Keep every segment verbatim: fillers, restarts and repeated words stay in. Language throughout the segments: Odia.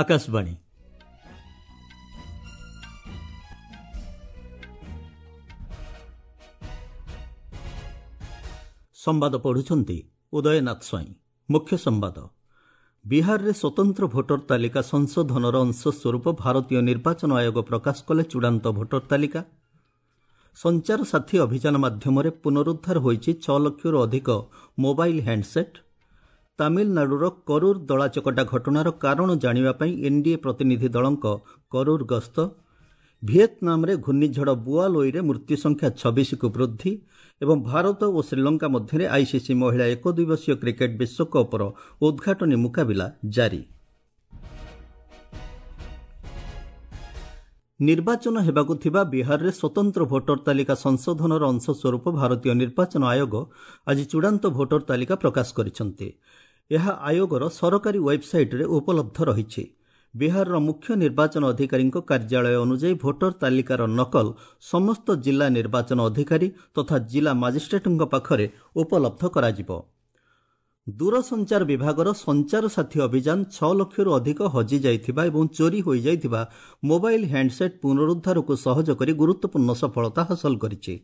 ଆକାଶବାଣୀ। ସମ୍ବାଦ ପଢ଼ୁଛନ୍ତି ଉଦୟନାଥ ସ୍ୱାଇଁ। ମୁଖ୍ୟ ସମ୍ବାଦ। ବିହାରରେ ସ୍ୱତନ୍ତ୍ର ଭୋଟର ତାଲିକା ସଂଶୋଧନର ଅଂଶସ୍ୱରୂପ ଭାରତୀୟ ନିର୍ବାଚନ ଆୟୋଗ ପ୍ରକାଶ କଲେ ଚୂଡ଼ାନ୍ତ ଭୋଟର ତାଲିକା। ସଞ୍ଚାର ସାଥୀ ଅଭିଯାନ ମାଧ୍ୟମରେ ପୁନରୁଦ୍ଧାର ହୋଇଛି ଛଅ ଲକ୍ଷରୁ ଅଧିକ ମୋବାଇଲ ହ୍ୟାଣ୍ଡସେଟ୍। ତାମିଲନାଡୁର କରୁର ଦଳାଚକଟା ଘଟଣାର କାରଣ ଜାଣିବା ପାଇଁ ଏନ୍ଡିଏ ପ୍ରତିନିଧି ଦଳଙ୍କ କରୁର ଗସ୍ତ। ଭିଏତନାମରେ ଘୂର୍ଣ୍ଣିଝଡ଼ ବୁଆଲୋଇରେ ମୃତ୍ୟୁ ସଂଖ୍ୟା ଛବିଶକୁ ବୃଦ୍ଧି ଏବଂ ଭାରତ ଓ ଶ୍ରୀଲଙ୍କା ମଧ୍ୟରେ ଆଇସିସି ମହିଳା ଏକଦିବସୀୟ କ୍ରିକେଟ୍ ବିଶ୍ୱକପ୍ର ଉଦ୍ଘାଟନୀ ମୁକାବିଲା ଜାରି। ନିର୍ବାଚନ ହେବାକୁ ଥିବା ବିହାରରେ ସ୍ୱତନ୍ତ୍ର ଭୋଟର ତାଲିକା ସଂଶୋଧନର ଅଂଶସ୍ୱରୂପ ଭାରତୀୟ ନିର୍ବାଚନ ଆୟୋଗ ଆଜି ଚୂଡ଼ାନ୍ତ ଭୋଟର ତାଲିକା ପ୍ରକାଶ କରିଛନ୍ତି। ଏହା ଆୟୋଗର ସରକାରୀ ୱେବ୍ସାଇଟ୍ରେ ଉପଲବ୍ଧ ରହିଛି। ବିହାରର ମୁଖ୍ୟ ନିର୍ବାଚନ ଅଧିକାରୀଙ୍କ କାର୍ଯ୍ୟାଳୟ ଅନୁଯାୟୀ ଭୋଟର ତାଲିକାର ନକଲ ସମସ୍ତ ଜିଲ୍ଲା ନିର୍ବାଚନ ଅଧିକାରୀ ତଥା ଜିଲ୍ଲା ମାଜିଷ୍ଟ୍ରେଟଙ୍କ ପାଖରେ ଉପଲବ୍ଧ କରାଯିବ। ଦୂରସଞ୍ଚାର ବିଭାଗର ସଞ୍ଚାର ସାଥୀ ଅଭିଯାନ ଛଅ ଲକ୍ଷରୁ ଅଧିକ ହଜିଯାଇଥିବା ଏବଂ ଚୋରି ହୋଇଯାଇଥିବା ମୋବାଇଲ ହ୍ୟାଣ୍ଡସେଟ୍ ପୁନରୁଦ୍ଧାରକୁ ସହଜ କରି ଗୁରୁତ୍ୱପୂର୍ଣ୍ଣ ସଫଳତା ହାସଲ କରିଛି।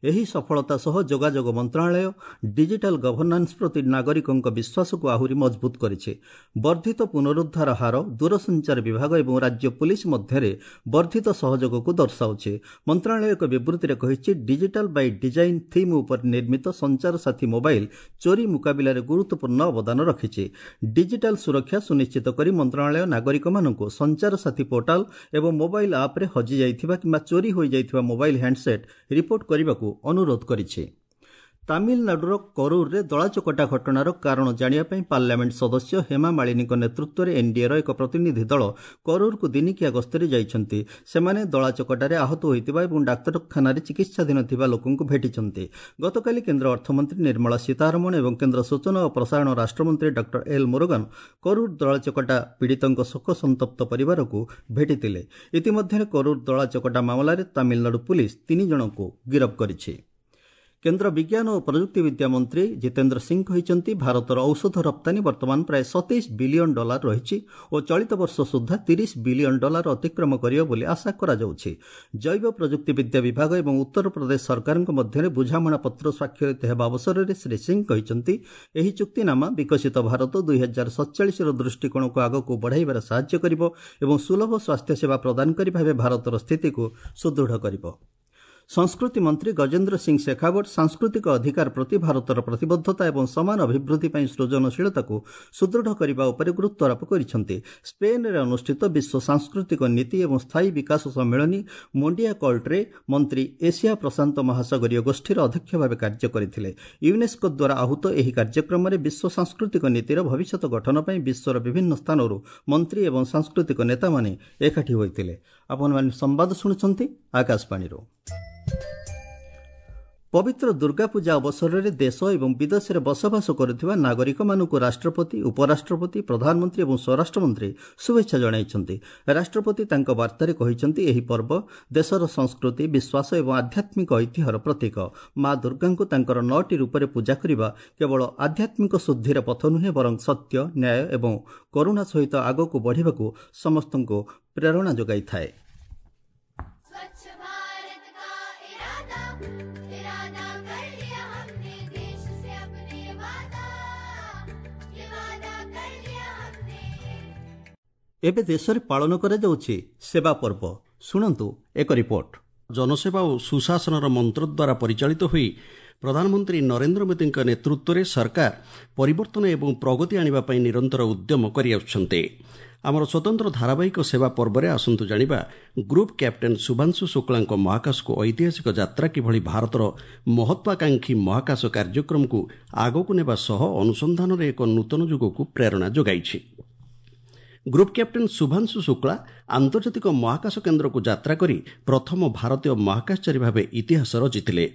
ଏହି ସଫଳତା ସହ ଯୋଗାଯୋଗ ମନ୍ତ୍ରଣାଳୟ ଡିଜିଟାଲ ଗଭର୍ଣ୍ଣାନ୍ସ ପ୍ରତି ନାଗରିକଙ୍କ ବିଶ୍ୱାସକୁ ଆହୁରି ମଜବୁତ କରିଛି। ବର୍ଦ୍ଧିତ ପୁନରୁଦ୍ଧାର ହାର ଦୂରସଞ୍ଚାର ବିଭାଗ ଏବଂ ରାଜ୍ୟ ପୁଲିସ ମଧ୍ୟରେ ବର୍ଦ୍ଧିତ ସହଯୋଗକୁ ଦର୍ଶାଉଛି। ମନ୍ତ୍ରଣାଳୟ ଏକ ବିବୃତ୍ତିରେ କହିଛି, ଡିଜିଟାଲ ବାଇ ଡିଜାଇନ୍ ଥିମ୍ ଉପରେ ନିର୍ମିତ ସଞ୍ଚାର ସାଥୀ ମୋବାଇଲ ଚୋରି ମୁକାବିଲାରେ ଗୁରୁତ୍ୱପୂର୍ଣ୍ଣ ଅବଦାନ ରଖିଛି। ଡିଜିଟାଲ ସୁରକ୍ଷା ସୁନିଶ୍ଚିତ କରି ମନ୍ତ୍ରଣାଳୟ ନାଗରିକମାନଙ୍କୁ ସଞ୍ଚାର ସାଥୀ ପୋର୍ଟାଲ ଏବଂ ମୋବାଇଲ ଆପ୍ରେ ହଜିଯାଇଥିବା କିମ୍ବା ଚୋରି ହୋଇଯାଇଥିବା ମୋବାଇଲ ହ୍ୟାଣ୍ଡସେଟ୍ ରିପୋର୍ଟ କରିବାକୁ ଅନୁରୋଧ କରିଛି। ତାମିଲନାଡୁର କରୁରରେ ଦଳାଚକଟା ଘଟଣାର କାରଣ ଜାଣିବା ପାଇଁ ପାର୍ଲାମେଣ୍ଟ ସଦସ୍ୟ ହେମା ମାଳିନୀଙ୍କ ନେତୃତ୍ୱରେ ଏନ୍ଡିଏର ଏକ ପ୍ରତିନିଧି ଦଳ କରୁରକୁ ଦିନିକିଆ ଗସ୍ତରେ ଯାଇଛନ୍ତି। ସେମାନେ ଦଳାଚକଟାରେ ଆହତ ହୋଇଥିବା ଏବଂ ଡାକ୍ତରଖାନାରେ ଚିକିତ୍ସାଧୀନ ଥିବା ଲୋକଙ୍କୁ ଭେଟିଛନ୍ତି। ଗତକାଲି କେନ୍ଦ୍ର ଅର୍ଥମନ୍ତ୍ରୀ ନିର୍ମଳା ସୀତାରମଣ ଏବଂ କେନ୍ଦ୍ର ସୂଚନା ଓ ପ୍ରସାରଣ ରାଷ୍ଟ୍ରମନ୍ତ୍ରୀ ଡକ୍ଟର ଏଲ୍ ମୁରୁଗନ କରୁର ଦଳାଚକଟା ପୀଡ଼ିତଙ୍କ ଶୋକସନ୍ତପ୍ତ ପରିବାରକୁ ଭେଟିଥିଲେ। ଇତିମଧ୍ୟରେ କରୁର ଦଳାଚକଟା ମାମଲାରେ ତାମିଲନାଡୁ ପୁଲିସ୍ ତିନି ଜଣଙ୍କୁ ଗିରଫ କରିଛି। କେନ୍ଦ୍ର ବିଜ୍ଞାନ ଓ ପ୍ରଯୁକ୍ତିବିଦ୍ୟା ମନ୍ତ୍ରୀ ଜିତେନ୍ଦ୍ର ସିଂ କହିଛନ୍ତି, ଭାରତର ଔଷଧ ରପ୍ତାନୀ ବର୍ତ୍ତମାନ ପ୍ରାୟ ସତେଇଶ ବିଲିୟନ ଡଲାର ରହିଛି ଓ ଚଳିତ ବର୍ଷ ସୁଦ୍ଧା ତିରିଶ ବିଲିୟନ ଡଲାର ଅତିକ୍ରମ କରିବ ବୋଲି ଆଶା କରାଯାଉଛି। ଜୈବ ପ୍ରଯୁକ୍ତିବିଦ୍ୟା ବିଭାଗ ଏବଂ ଉତ୍ତରପ୍ରଦେଶ ସରକାରଙ୍କ ମଧ୍ୟରେ ବୁଝାମଣାପତ୍ର ସ୍ୱାକ୍ଷରିତ ହେବା ଅବସରରେ ଶ୍ରୀ ସିଂ କହିଛନ୍ତି, ଏହି ଚୁକ୍ତିନାମା ବିକଶିତ ଭାରତ ଦୁଇ ହଜାର ସତଚାଳିଶର ଦୃଷ୍ଟିକୋଣକୁ ଆଗକୁ ବଢ଼ାଇବାରେ ସାହାଯ୍ୟ କରିବ ଏବଂ ସୁଲଭ ସ୍ୱାସ୍ଥ୍ୟସେବା ପ୍ରଦାନକାରୀ ଭାବେ ଭାରତର ସ୍ଥିତିକୁ ସୁଦୃଢ଼ କରିବ। ସଂସ୍କୃତି ମନ୍ତ୍ରୀ ଗଜେନ୍ଦ୍ର ସିଂ ଶେଖାୱତ ସାଂସ୍କୃତିକ ଅଧିକାର ପ୍ରତି ଭାରତର ପ୍ରତିବଦ୍ଧତା ଏବଂ ସମାନ ଅଭିବୃଦ୍ଧି ପାଇଁ ସୃଜନଶୀଳତାକୁ ସୁଦୃଢ଼ କରିବା ଉପରେ ଗୁରୁତ୍ୱାରୋପ କରିଛନ୍ତି। ସ୍ପେନ୍ରେ ଅନୁଷ୍ଠିତ ବିଶ୍ୱ ସାଂସ୍କୃତିକ ନୀତି ଏବଂ ସ୍ଥାୟୀ ବିକାଶ ସମ୍ମିଳନୀ ମୋଣ୍ଡିଆ କଲ୍ଟରେ ମନ୍ତ୍ରୀ ଏସିଆ ପ୍ରଶାନ୍ତ ମହାସାଗରୀୟ ଗୋଷ୍ଠୀର ଅଧ୍ୟକ୍ଷ ଭାବେ କାର୍ଯ୍ୟ କରିଥିଲେ। ୟୁନେସ୍କୋ ଦ୍ୱାରା ଆହୁତ ଏହି କାର୍ଯ୍ୟକ୍ରମରେ ବିଶ୍ୱ ସାଂସ୍କୃତିକ ନୀତିର ଭବିଷ୍ୟତ ଗଠନ ପାଇଁ ବିଶ୍ୱର ବିଭିନ୍ନ ସ୍ଥାନରୁ ମନ୍ତ୍ରୀ ଏବଂ ସାଂସ୍କୃତିକ ନେତାମାନେ ଏକାଠି ହୋଇଥିଲେ। ଆପଣମାନେ ସମ୍ବାଦ ଶୁଣୁଛନ୍ତି ଆକାଶବାଣୀରୁ। ପବିତ୍ର ଦୁର୍ଗାପୂଜା ଅବସରରେ ଦେଶ ଏବଂ ବିଦେଶରେ ବସବାସ କରୁଥିବା ନାଗରିକମାନଙ୍କୁ ରାଷ୍ଟ୍ରପତି, ଉପରାଷ୍ଟ୍ରପତି, ପ୍ରଧାନମନ୍ତ୍ରୀ ଏବଂ ସ୍ୱରାଷ୍ଟ୍ରମନ୍ତ୍ରୀ ଶୁଭେଚ୍ଛା ଜଣାଇଛନ୍ତି। ରାଷ୍ଟ୍ରପତି ତାଙ୍କ ବାର୍ତ୍ତାରେ କହିଛନ୍ତି, ଏହି ପର୍ବ ଦେଶର ସଂସ୍କୃତି, ବିଶ୍ୱାସ ଏବଂ ଆଧ୍ୟାତ୍ମିକ ଐତିହ୍ୟର ପ୍ରତୀକ। ମା ଦୁର୍ଗାଙ୍କୁ ତାଙ୍କର ନଅଟି ରୂପରେ ପୂଜା କରିବା କେବଳ ଆଧ୍ୟାତ୍ମିକ ଶୁଦ୍ଧିର ପଥ ନୁହେଁ, ବରଂ ସତ୍ୟ, ନ୍ୟାୟ ଏବଂ କରୁଣା ସହିତ ଆଗକୁ ବଢ଼ିବାକୁ ସମସ୍ତଙ୍କୁ ପ୍ରେରଣା ଯୋଗାଇଥାଏ। ଏବେ ଦେଶରେ ପାଳନ କରାଯାଉଛି ସେବା ପର୍ବ। ଶୁଣନ୍ତୁ ଏକ ରିପୋର୍ଟ। ଜନସେବା ଓ ସୁଶାସନର ମନ୍ତ୍ର ଦ୍ୱାରା ପରିଚାଳିତ ହୋଇ ପ୍ରଧାନମନ୍ତ୍ରୀ ନରେନ୍ଦ୍ର ମୋଦିଙ୍କ ନେତୃତ୍ୱରେ ସରକାର ପରିବର୍ତ୍ତନ ଏବଂ ପ୍ରଗତି ଆଣିବା ପାଇଁ ନିରନ୍ତର ଉଦ୍ୟମ କରିଆସୁଛନ୍ତି। ଆମର ସ୍ୱତନ୍ତ୍ର ଧାରାବାହିକ ସେବା ପର୍ବରେ ଆସନ୍ତୁ ଜାଣିବା ଗ୍ରୁପ୍ କ୍ୟାପ୍ଟେନ୍ ଶୁଭାଂଶୁ ଶୁକ୍ଳାଙ୍କ ମହାକାଶକୁ ଐତିହାସିକ ଯାତ୍ରା କିଭଳି ଭାରତର ମହତ୍ୱାକାଂକ୍ଷୀ ମହାକାଶ କାର୍ଯ୍ୟକ୍ରମକୁ ଆଗକୁ ନେବା ସହ ଅନୁସନ୍ଧାନରେ ଏକ ନୂତନ ଯୁଗକୁ ପ୍ରେରଣା ଯୋଗାଇଛି। ଗ୍ରୁପ୍ କ୍ୟାପ୍ଟେନ୍ ଶୁଭାଂଶୁ ଶୁକ୍ଳା ଆନ୍ତର୍ଜାତିକ ମହାକାଶ କେନ୍ଦ୍ରକୁ ଯାତ୍ରା କରି ପ୍ରଥମ ଭାରତୀୟ ମହାକାଶଚାରୀ ଭାବେ ଇତିହାସ ରଚିଥିଲେ।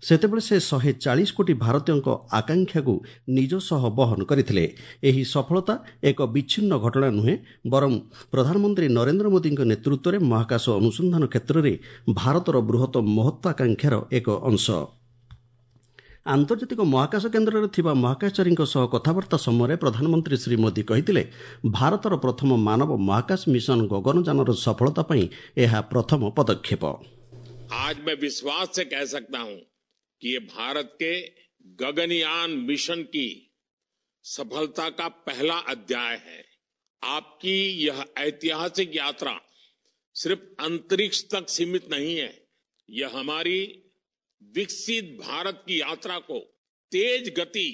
ସେତେବେଳେ ସେ ଶହେ ଚାଳିଶ କୋଟି ଭାରତୀୟଙ୍କ ଆକାଂକ୍ଷାକୁ ନିଜ ସହ ବହନ କରିଥିଲେ। ଏହି ସଫଳତା ଏକ ବିଚ୍ଛିନ୍ନ ଘଟଣା ନୁହେଁ, ବରଂ ପ୍ରଧାନମନ୍ତ୍ରୀ ନରେନ୍ଦ୍ର ମୋଦିଙ୍କ ନେତୃତ୍ୱରେ ମହାକାଶ ଅନୁସନ୍ଧାନ କ୍ଷେତ୍ରରେ ଭାରତର ବୃହତ ମହତ୍ୱାକାଂକ୍ଷାର ଏକ ଅଂଶ। ଆନ୍ତର୍ଜାତିକ ମହାକାଶ କେନ୍ଦ୍ରରେ ଥିବା ମହାକାଶଚାରୀଙ୍କ ସହ କଥାବାର୍ତ୍ତା ସମୟରେ ପ୍ରଧାନମନ୍ତ୍ରୀ ଶ୍ରୀ ମୋଦି କହିଥିଲେ, ଭାରତର ପ୍ରଥମ ମାନବ ମହାକାଶ ମିଶନ ଗଗନଯାନର ସଫଳତା ପାଇଁ ଏହା ପ୍ରଥମ ପଦକ୍ଷେପ। आज मैं विश्वास से कह सकता हूं कि ये भारत के गगनयान मिशन की सफलता का पहला अध्याय है। आपकी यह ऐतिहासिक यात्रा सिर्फ अंतरिक्ष तक सीमित नहीं है, यह हमारी विकसित भारत की यात्रा को तेज गति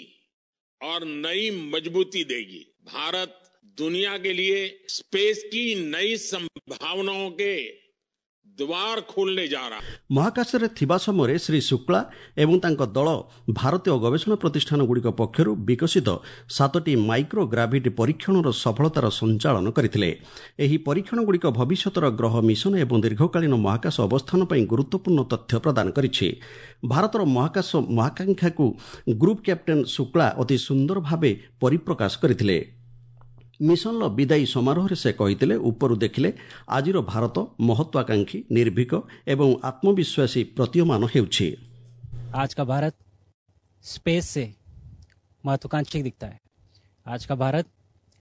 और नई मजबूती देगी। भारत दुनिया के लिए स्पेस की नई संभावनाओं के द्वार खोलने जा रहा है। ମହାକାଶରେ ଥିବା ସମୟରେ ଶ୍ରୀ ଶୁକ୍ଳା ଏବଂ ତାଙ୍କ ଦଳ ଭାରତୀୟ ଗବେଷଣା ପ୍ରତିଷ୍ଠାନଗୁଡ଼ିକ ପକ୍ଷରୁ ବିକଶିତ ସାତଟି ମାଇକ୍ରୋ ଗ୍ରାଭିଟି ପରୀକ୍ଷଣର ସଫଳତାର ସଞ୍ଚାଳନ କରିଥିଲେ। ଏହି ପରୀକ୍ଷଣଗୁଡ଼ିକ ଭବିଷ୍ୟତର ଗ୍ରହ ମିଶନ ଏବଂ ଦୀର୍ଘକାଳୀନ ମହାକାଶ ଅବସ୍ଥାନ ପାଇଁ ଗୁରୁତ୍ୱପୂର୍ଣ୍ଣ ତଥ୍ୟ ପ୍ରଦାନ କରିଛି। ଭାରତର ମହାକାଶ ମହାକାଂକ୍ଷାକୁ ଗ୍ରୁପ୍ କ୍ୟାପ୍ଟେନ୍ ଶୁକ୍ଳା ଅତି ସୁନ୍ଦର ଭାବେ ପରିପ୍ରକାଶ କରିଥିଲେ। ମିଶନର ବିଦାୟୀ ସମାରୋହରେ ସେ କହିଥିଲେ, ଉପରୁ ଦେଖିଲେ ଆଜିର ଭାରତ ମହତ୍ୱାକାଂକ୍ଷୀ, ନିର୍ଭୀକ ଏବଂ ଆତ୍ମବିଶ୍ୱାସୀ ପ୍ରତୀୟମାନ ହେଉଛି। आज का भारत स्पेस से महत्वाकांक्षी दिखता है, आज का भारत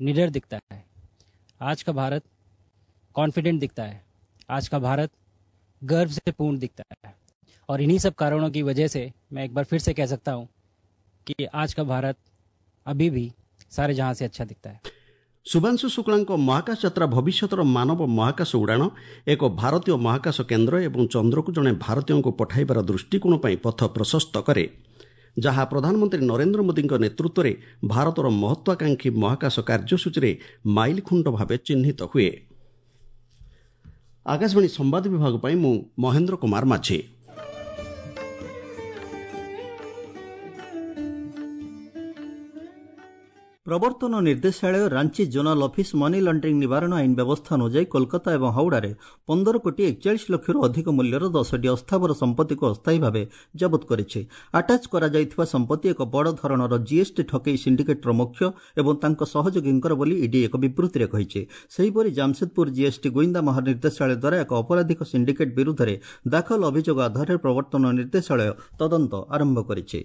निडर दिखता है, आज का भारत कॉन्फिडेंट दिखता है, आज का भारत गर्व से पूर्ण दिखता है। और इन्हीं सब कारणों की वजह से मैं एक बार फिर से कह सकता हूँ कि आज का भारत अभी भी सारे जहां से अच्छा दिखता है। ଶୁଭାଂଶୁ ଶୁକ୍ଳାଙ୍କ ମହାକାଶ ଯାତ୍ରା ଭବିଷ୍ୟତର ମାନବ ମହାକାଶ ଉଡ଼ାଣ, ଏକ ଭାରତୀୟ ମହାକାଶ କେନ୍ଦ୍ର ଏବଂ ଚନ୍ଦ୍ରକୁ ଜଣେ ଭାରତୀୟଙ୍କୁ ପଠାଇବାର ଦୃଷ୍ଟିକୋଣ ପାଇଁ ପଥ ପ୍ରଶସ୍ତ କରେ, ଯାହା ପ୍ରଧାନମନ୍ତ୍ରୀ ନରେନ୍ଦ୍ର ମୋଦିଙ୍କ ନେତୃତ୍ୱରେ ଭାରତର ମହତ୍ୱାକାଂକ୍ଷୀ ମହାକାଶ କାର୍ଯ୍ୟସୂଚୀରେ ମାଇଲଖୁଣ୍ଟ ଭାବେ ଚିହ୍ନିତ ହୁଏ। ଆକାଶବାଣୀ ସମ୍ବାଦ ବିଭାଗ ପାଇଁ ମୁଁ ମହେନ୍ଦ୍ର କୁମାର ମାଝୀ। ପ୍ରବର୍ତ୍ତନ ନିର୍ଦ୍ଦେଶାଳୟ Ranchi zonal office money laundering ନିବାରଣ ଆଇନ ବ୍ୟବସ୍ଥା ଅନୁଯାୟୀ କୋଲକାତା ଏବଂ ହାଉଡ଼ାରେ ପନ୍ଦର କୋଟି ଏକଚାଳିଶ ଲକ୍ଷରୁ ଅଧିକ ମୂଲ୍ୟର ଦଶଟି ଅସ୍ଥାବର ସମ୍ପତ୍ତିକୁ ଅସ୍ଥାୟୀ ଭାବେ ଜବତ କରିଛି। ଆଟାଚ୍ କରାଯାଇଥିବା ସମ୍ପତ୍ତି ଏକ ବଡ଼ ଧରଣର ଜିଏସ୍ଟି ଠକେଇ ସିଣ୍ଡିକେଟ୍ର ମୁଖ୍ୟ ଏବଂ ତାଙ୍କ ସହଯୋଗୀଙ୍କର ବୋଲି ଇଡି ଏକ ବିବୃତ୍ତିରେ କହିଛି। ସେହିପରି ଜାମସେଦପୁର ଜିଏସ୍ଟି ଗୁଇନ୍ଦା ମହାନିର୍ଦ୍ଦେଶାଳୟ ଦ୍ୱାରା ଏକ ଅପରାଧିକ ସିଣ୍ଡିକେଟ୍ ବିରୁଦ୍ଧରେ ଦାଖଲ ଅଭିଯୋଗ ଆଧାରରେ ପ୍ରବର୍ତ୍ତନ ନିର୍ଦ୍ଦେଶାଳୟ ତଦନ୍ତ ଆରମ୍ଭ କରିଛି।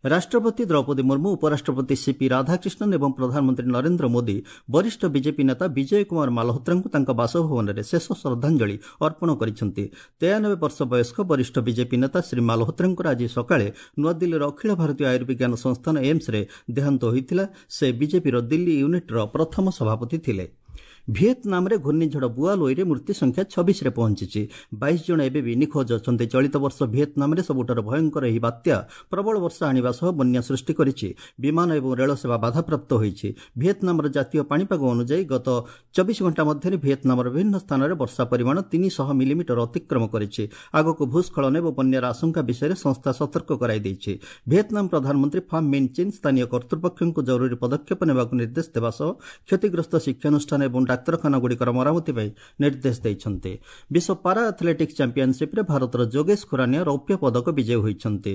ରାଷ୍ଟ୍ରପତି ଦ୍ରୌପଦୀ ମୁର୍ମୁ, ଉପରାଷ୍ଟ୍ରପତି ସିପି ରାଧାକ୍ରିଷ୍ଣନ୍ ଏବଂ ପ୍ରଧାନମନ୍ତ୍ରୀ ନରେନ୍ଦ୍ର ମୋଦି ବରିଷ୍ଠ ବିଜେପି ନେତା ବିଜୟ କୁମାର ମାଲହୋତ୍ରାଙ୍କୁ ତାଙ୍କ ବାସଭବନରେ ଶେଷ ଶ୍ରଦ୍ଧାଞ୍ଜଳି ଅର୍ପଣ କରିଛନ୍ତି। ତେୟାନବେ ବର୍ଷ ବୟସ୍କ ବରିଷ୍ଠ ବିଜେପି ନେତା ଶ୍ରୀ ମାଲହୋତ୍ରାଙ୍କର ଆଜି ସକାଳେ ନୂଆଦିଲ୍ଲୀର ଅଖିଳ ଭାରତୀୟ ଆୟୁର୍ବିଜ୍ଞାନ ସଂସ୍ଥାନ ଏମ୍ସରେ ଦେହାନ୍ତ ହୋଇଥିଲା। ସେ ବିଜେପିର ଦିଲ୍ଲୀ ୟୁନିଟ୍ର ପ୍ରଥମ ସଭାପତି ଥିଲେ। ଭିଏତନାମରେ ଘୂର୍ଣ୍ଣିଝଡ଼ ବୁଆଲୋଇରେ ମୃତ୍ୟୁ ସଂଖ୍ୟା ଛବିଶରେ ପହଞ୍ଚିଛି। ବାଇଶ ଜଣ ଏବେ ବି ନିଖୋଜ ଅଛନ୍ତି। ଚଳିତ ବର୍ଷ ଭିଏତନାମରେ ସବୁଠାରୁ ଭୟଙ୍କର ଏହି ବାତ୍ୟା ପ୍ରବଳ ବର୍ଷା ଆଣିବା ସହ ବନ୍ୟା ସୃଷ୍ଟି କରିଛି। ବିମାନ ଏବଂ ରେଳ ସେବା ବାଧାପ୍ରାପ୍ତ ହୋଇଛି। ଭିଏତନାମର ଜାତୀୟ ପାଣିପାଗ ଅନୁଯାୟୀ ଗତ ଚବିଶ ଘଣ୍ଟା ମଧ୍ୟରେ ଭିଏତନାମର ବିଭିନ୍ନ ସ୍ଥାନରେ ବର୍ଷା ପରିମାଣ ତିନିଶହ ମିଲିମିଟର ଅତିକ୍ରମ କରିଛି। ଆଗକୁ ଭୂସ୍ଖଳନ ଏବଂ ବନ୍ୟାର ଆଶଙ୍କା ବିଷୟରେ ସଂସ୍ଥା ସତର୍କ କରାଇ ଦେଇଛି। ଭିଏତନାମ ପ୍ରଧାନମନ୍ତ୍ରୀ ଫାମ୍ ମିନ୍ ଚିନ୍ ସ୍ଥାନୀୟ କର୍ତ୍ତୃପକ୍ଷଙ୍କୁ ଜରୁରୀ ପଦକ୍ଷେପ ନେବାକୁ ନିର୍ଦ୍ଦେଶ ଦେବା ସହ କ୍ଷତିଗ୍ରସ୍ତ ଶିକ୍ଷାନୁଷ୍ଠାନ ଏବଂ ଡାକ୍ତରଖାନାଗୁଡ଼ିକର ମରାମତି ପାଇଁ ନିର୍ଦ୍ଦେଶ ଦେଇଛନ୍ତି। ବିଶ୍ୱ ପାରା ଆଥଲେଟିକ୍ସ ଚାମ୍ପିୟନସିପ୍ରେ ଭାରତର ଯୋଗେଶ ଖୁରାନିଆ ରୌପ୍ୟ ପଦକ ବିଜୟୀ ହୋଇଛନ୍ତି।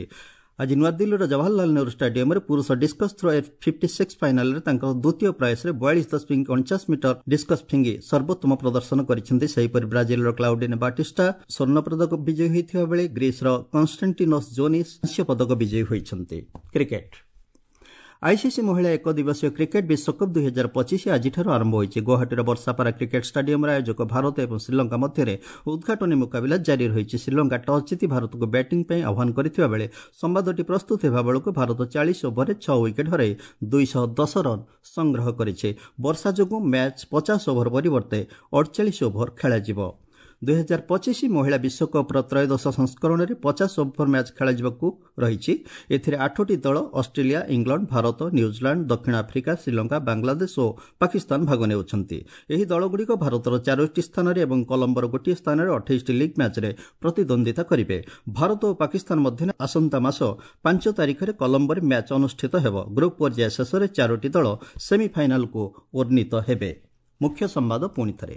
ଆଜି ନୂଆଦିଲ୍ଲୀର ଜବାହରଲାଲ ନେହେରୁ ଷ୍ଟାଡିୟମରେ ପୁରୁଷ discus throw F fifty six ଫାଇନାଲରେ ତାଙ୍କ ଦ୍ୱିତୀୟ ପ୍ରୟାସରେ ବୟାଳିଶ ଦଶମିକ ଅଣଚାଶ ମିଟର ଡିସ୍କସ୍ ଫିଙ୍ଗି ସର୍ବୋତ୍ତମ ପ୍ରଦର୍ଶନ କରିଛନ୍ତି। ସେହିପରି ବ୍ରାଜିଲର କ୍ଲାଉଡିନେ ବାଟିଷ୍ଟା ସ୍ୱର୍ଣ୍ଣ ପଦକ ବିଜୟୀ ହୋଇଥିବା ବେଳେ ଗ୍ରୀସର କନଷ୍ଟାଣ୍ଟିନୋସ୍ ଜୋନିସ୍ କାଂସ୍ୟ ପଦକ ବିଜୟୀ ହୋଇଛନ୍ତି। କ୍ରିକେଟ ଆଇସିସି ମହିଳା ଏକ ଦିବସୀୟ କ୍ରିକେଟ୍ ବିଶ୍ୱକପ୍ ଦୁଇ ହଜାର ପଚିଶ ଆଜିଠାରୁ ଆରମ୍ଭ ହୋଇଛି। ଗୁଆହାଟୀର ବର୍ଷାପାରା କ୍ରିକେଟ୍ ଷ୍ଟାଡିୟମରେ ଆୟୋଜକ ଭାରତ ଏବଂ ଶ୍ରୀଲଙ୍କା ମଧ୍ୟରେ ଉଦ୍ଘାଟନୀ ମୁକାବିଲା ଜାରି ରହିଛି। ଶ୍ରୀଲଙ୍କା ଟସ୍ ଜିତି ଭାରତକୁ ବ୍ୟାଟିଂ ପାଇଁ ଆହ୍ୱାନ କରିଥିବା ବେଳେ ସମ୍ବାଦଟି ପ୍ରସ୍ତୁତ ହେବା ବେଳକୁ ଭାରତ ଚାଳିଶ ଓଭରରେ ଛଅ ୱିକେଟ୍ ହରାଇ ଦୁଇଶହ ଦଶ ରନ୍ ସଂଗ୍ରହ କରିଛି। ବର୍ଷା ଯୋଗୁଁ ମ୍ୟାଚ୍ ପଚାଶ ଓଭର ପରିବର୍ତ୍ତେ ଅଡ଼ଚାଳିଶ ଓଭର ଖେଳାଯିବ। ଦୁଇହଜାର ପଚିଶ ମହିଳା ବିଶ୍ୱକପ୍ର ତ୍ରୟୋଦଶ ସଂସ୍କରଣରେ ପଚାଶ ଓଭର ମ୍ୟାଚ୍ ଖେଳାଯିବାକୁ ରହିଛି। ଏଥିରେ ଆଠଟି ଦଳ ଅଷ୍ଟ୍ରେଲିଆ, ଇଂଲଣ୍ଡ, ଭାରତ, ନ୍ୟୁଜିଲାଣ୍ଡ, ଦକ୍ଷିଣ ଆଫ୍ରିକା, ଶ୍ରୀଲଙ୍କା, ବାଂଲାଦେଶ ଓ ପାକିସ୍ତାନ ଭାଗ ନେଉଛନ୍ତି। ଏହି ଦଳଗୁଡ଼ିକ ଭାରତର ଚାରୋଟି ସ୍ଥାନରେ ଏବଂ କଲମ୍ବୋର ଗୋଟିଏ ସ୍ଥାନରେ ଅଠେଇଶଟି ଲିଗ୍ ମ୍ୟାଚ୍ରେ ପ୍ରତିଦ୍ୱନ୍ଦ୍ୱିତା କରିବେ। ଭାରତ ଓ ପାକିସ୍ତାନ ମଧ୍ୟରେ ଆସନ୍ତା ମାସ ପାଞ୍ଚ ତାରିଖରେ କଲମ୍ବୋରେ ମ୍ୟାଚ୍ ଅନୁଷ୍ଠିତ ହେବ। ଗ୍ରୁପ୍ ପର୍ଯ୍ୟାୟ ଶେଷରେ ଚାରୋଟି ଦଳ ସେମିଫାଇନାଲକୁ ଉନ୍ନୀତ ହେବେ। ମୁଖ୍ୟ ସମ୍ବାଦ ପୁଣି ଥରେ।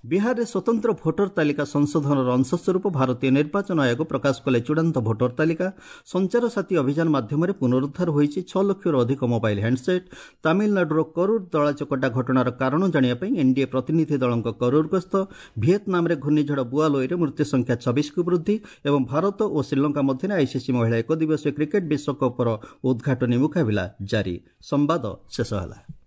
ବିହାରରେ ସ୍ୱତନ୍ତ୍ର ଭୋଟର ତାଲିକା ସଂଶୋଧନର ଅଂଶସ୍ୱରୂପ ଭାରତୀୟ ନିର୍ବାଚନ ଆୟୋଗ ପ୍ରକାଶ କଲେ ଚୂଡ଼ାନ୍ତ ଭୋଟର ତାଲିକା। ସଞ୍ଚାର ସାଥୀ ଅଭିଯାନ ମାଧ୍ୟମରେ ପୁନରୁଦ୍ଧାର ହୋଇଛି ଛଅ ଲକ୍ଷରୁ ଅଧିକ ମୋବାଇଲ ହ୍ୟାଣ୍ଡସେଟ୍। ତାମିଲନାଡୁର କରୁର ଦଳାଚକଟା ଘଟଣାର କାରଣ ଜାଣିବା ପାଇଁ ଏନ୍ଡିଏ ପ୍ରତିନିଧି ଦଳଙ୍କ କରୁର ଗସ୍ତ। ଭିଏତନାମରେ ଘୂର୍ଣ୍ଣିଝଡ଼ ବୁଆଲୋଇରେ ମୃତ୍ୟୁ ସଂଖ୍ୟା ଛବିଶକୁ ବୃଦ୍ଧି ଏବଂ ଭାରତ ଓ ଶ୍ରୀଲଙ୍କା ମଧ୍ୟରେ ଆଇସିସି ମହିଳା ଏକଦିବସୀୟ କ୍ରିକେଟ୍ ବିଶ୍ୱକପ୍ର ଉଦ୍ଘାଟନୀ ମୁକାବିଲା ଜାରି। ସମ୍ବାଦ ଶେଷ ହେଲା।